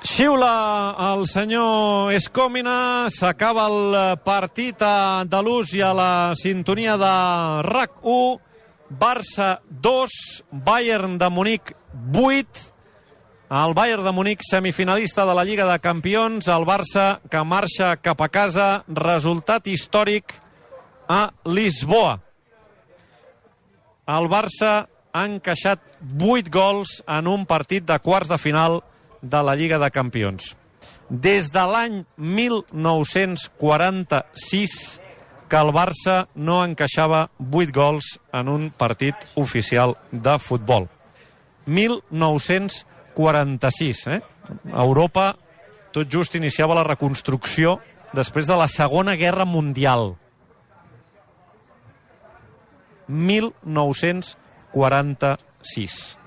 Xiula el senyor Escòmina, s'acaba el partit a Andalús i a la sintonia de RAC1. Barça 2, Bayern de Munic 8. El Bayern de Munic semifinalista de la Lliga de Campions, el Barça que marxa cap a casa, resultat històric a Lisboa. El Barça ha encaixat 8 gols en un partit de quarts de final de la Lliga de Campions. Des de l'any 1946 que el Barça no encaixava 8 gols en un partit oficial de futbol. 1946, Europa tot just iniciava la reconstrucció després de la Segona Guerra Mundial. 1946.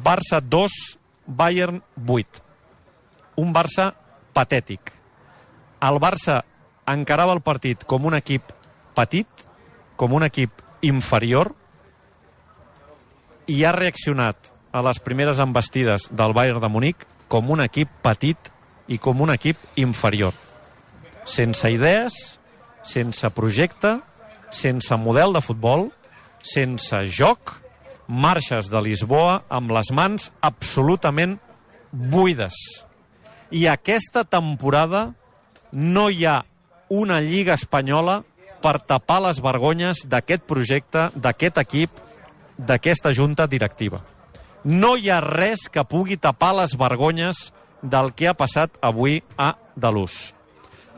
Barça 2, Bayern 8. Un Barça patètic. El Barça encarava el partit com un equip petit, com un equip inferior, i ha reaccionat a les primeres envestides del Bayern de Munic com un equip petit i com un equip inferior. Sense idees, sense projecte, sense model de futbol, sense joc, marxes de Lisboa amb les mans absolutament buides. I aquesta temporada no hi ha una Lliga espanyola per tapar les vergonyes d'aquest projecte, d'aquest equip, d'aquesta junta directiva. No hi ha res que pugui tapar les vergonyes del que ha passat avui a Andalús.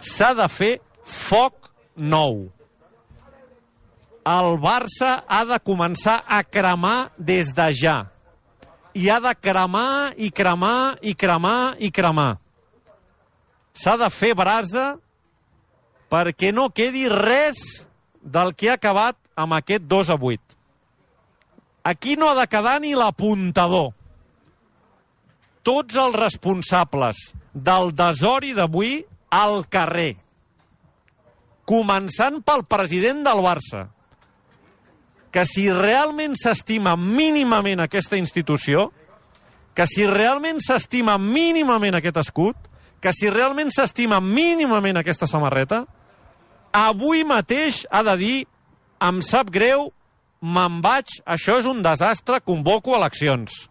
S'ha de fer foc nou. El Barça ha de començar a cremar des de ja. I ha de cremar i cremar i cremar i cremar. S'ha de fer brasa perquè no quedi res del que ha acabat amb aquest 2-8. Aquí no ha de quedar ni l'apuntador. Tots els responsables del desori d'avui al carrer. Començant pel president del Barça, que si realment s'estima mínimament aquesta institució, que si realment s'estima mínimament aquest escut, que si realment s'estima mínimament aquesta samarreta, avui mateix ha de dir: em sap greu, me'n vaig, això és un desastre, convoco eleccions.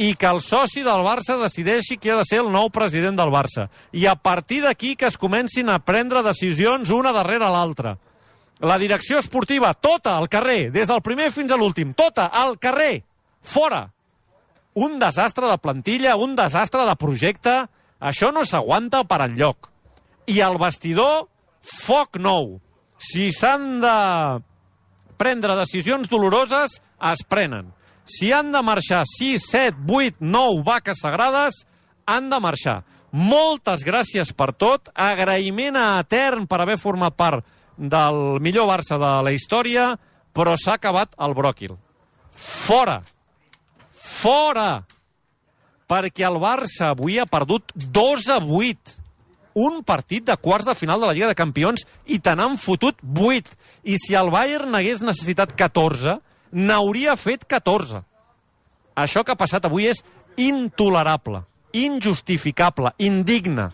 I que el soci del Barça decideixi qui ha de ser el nou president del Barça. I a partir d'aquí que es comencin a prendre decisions una darrere l'altra. La direcció esportiva, tota al carrer, des del primer fins a l'últim, tota al carrer, fora. Un desastre de plantilla, un desastre de projecte, això no s'aguanta per enlloc. I al vestidor, foc nou. Si s'han de prendre decisions doloroses, es prenen. Si han de marxar 6, 7, 8, 9 vaques sagrades, han de marxar. Moltes gràcies per tot, agraïment etern per haver format part del millor Barça de la història, però s'ha acabat el bròquil. Fora! Fora! Perquè el Barça avui ha perdut 2-8. Un partit de quarts de final de la Lliga de Campions i te n'han fotut 8. I si el Bayern n'hagués necessitat 14, n'hauria fet 14. Això que ha passat avui és intolerable, injustificable, indigne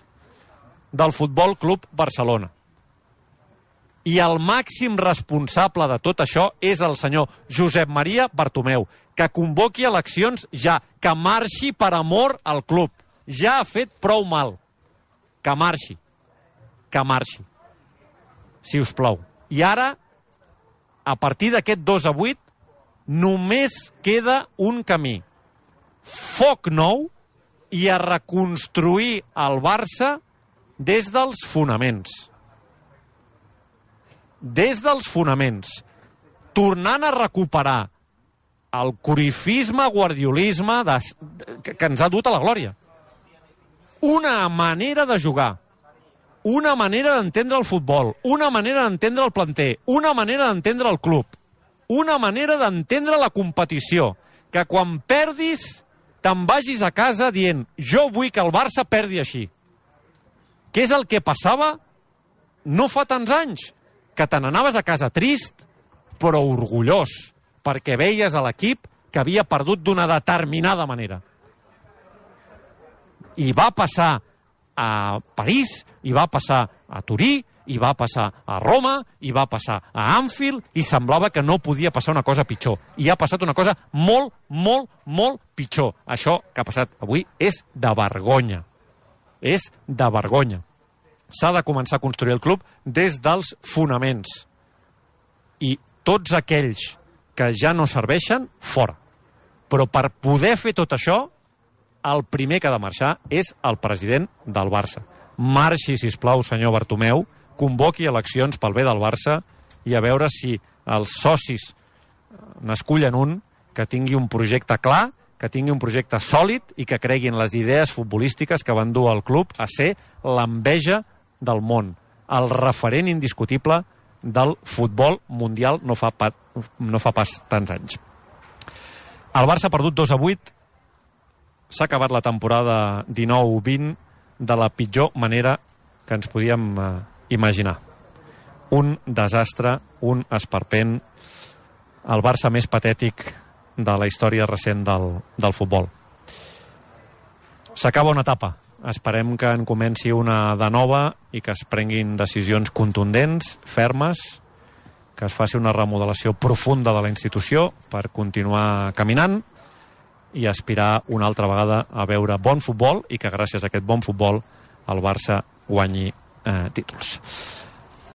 del Futbol Club Barcelona. I el màxim responsable de tot això és el senyor Josep Maria Bartomeu, que convoqui eleccions ja, que marxi per amor al club. Ja ha fet prou mal. Que marxi. Que marxi. Si us plau. I ara, a partir d'aquest 2-8, només queda un camí. Foc nou i a reconstruir el Barça des dels fonaments. Des dels fonaments, tornant a recuperar el corifisme, guardiolisme que ens ha dut a la glòria. Una manera de jugar, una manera d'entendre el futbol, una manera d'entendre el planter, una manera d'entendre el club, una manera d'entendre la competició, que quan perdis te'n vagis a casa dient: jo vull que el Barça perdi així. Què és el que passava no fa tants anys? Que te n'anaves a casa trist, però orgullós, perquè veies a l'equip que havia perdut d'una determinada manera. I va passar a París, i va passar a Turí, i va passar a Roma, i va passar a Anfield, i semblava que no podia passar una cosa pitjor. I ha passat una cosa molt, molt, molt pitjor. Això que ha passat avui és de vergonya. És de vergonya. S'ha de començar a construir el club des dels fonaments. I tots aquells que ja no serveixen, fora. Però per poder fer tot això, el primer que ha de marxar és el president del Barça. Marxi, sisplau, senyor Bartomeu, convoqui eleccions pel bé del Barça i a veure si els socis n'escullen un que tingui un projecte clar, que tingui un projecte sòlid i que creguin les idees futbolístiques que van dur el club a ser l'enveja del món, el referent indiscutible del futbol mundial no fa pas tants anys. El Barça ha perdut 2-8, s'ha acabat la temporada 19-20 de la pitjor manera que ens podíem imaginar. Un desastre, un esperpent, el Barça més patètic de la història recent del futbol. S'acaba una etapa. Esperem que en comenci una de nova i que es prenguin decisions contundents, fermes, que es faci una remodelació profunda de la institució per continuar caminant i aspirar una altra vegada a veure bon futbol i que gràcies a aquest bon futbol el Barça guanyi títols.